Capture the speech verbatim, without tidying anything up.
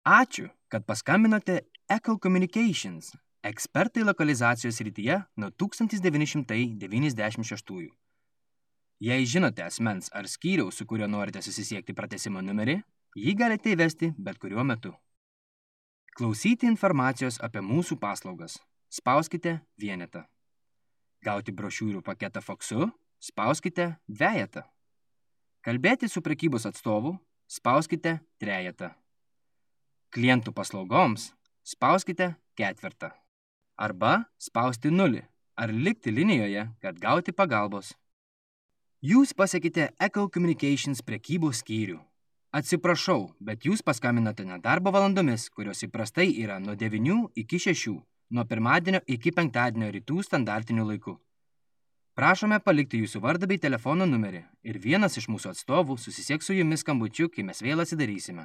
Ačiū, kad paskambinote Echo Communications, ekspertai lokalizacijos srityje nuo tūkstantis devyni šimtai devyniasdešimt šeštųjų. Jei žinote asmens ar skyriaus, su kuriuo norite susisiekti pratęsimo numerį, jį galite įvesti bet kuriuo metu. Klausyti informacijos apie mūsų paslaugas. Spauskite vienetą. Gauti brošiūrų paketą faksu. Spauskite dvejetą. Kalbėti su prekybos atstovu. Spauskite trejetą. Klientų paslaugoms. Spauskite ketvirtą. Arba spausti nulį ar likti linijoje, kad gauti pagalbos. Jūs pasiekite Echo Communications prekybos skyrių. Atsiprašau, bet jūs paskambinote ne darbo valandomis, kurios įprastai yra nuo devynių iki šešių, nuo pirmadienio iki penktadienio rytų standartiniu laiku. Prašome palikti jūsų vardą bei telefono numerį ir vienas iš mūsų atstovų susisieks su jumis skambučiu, kai mes vėl atsidarysime.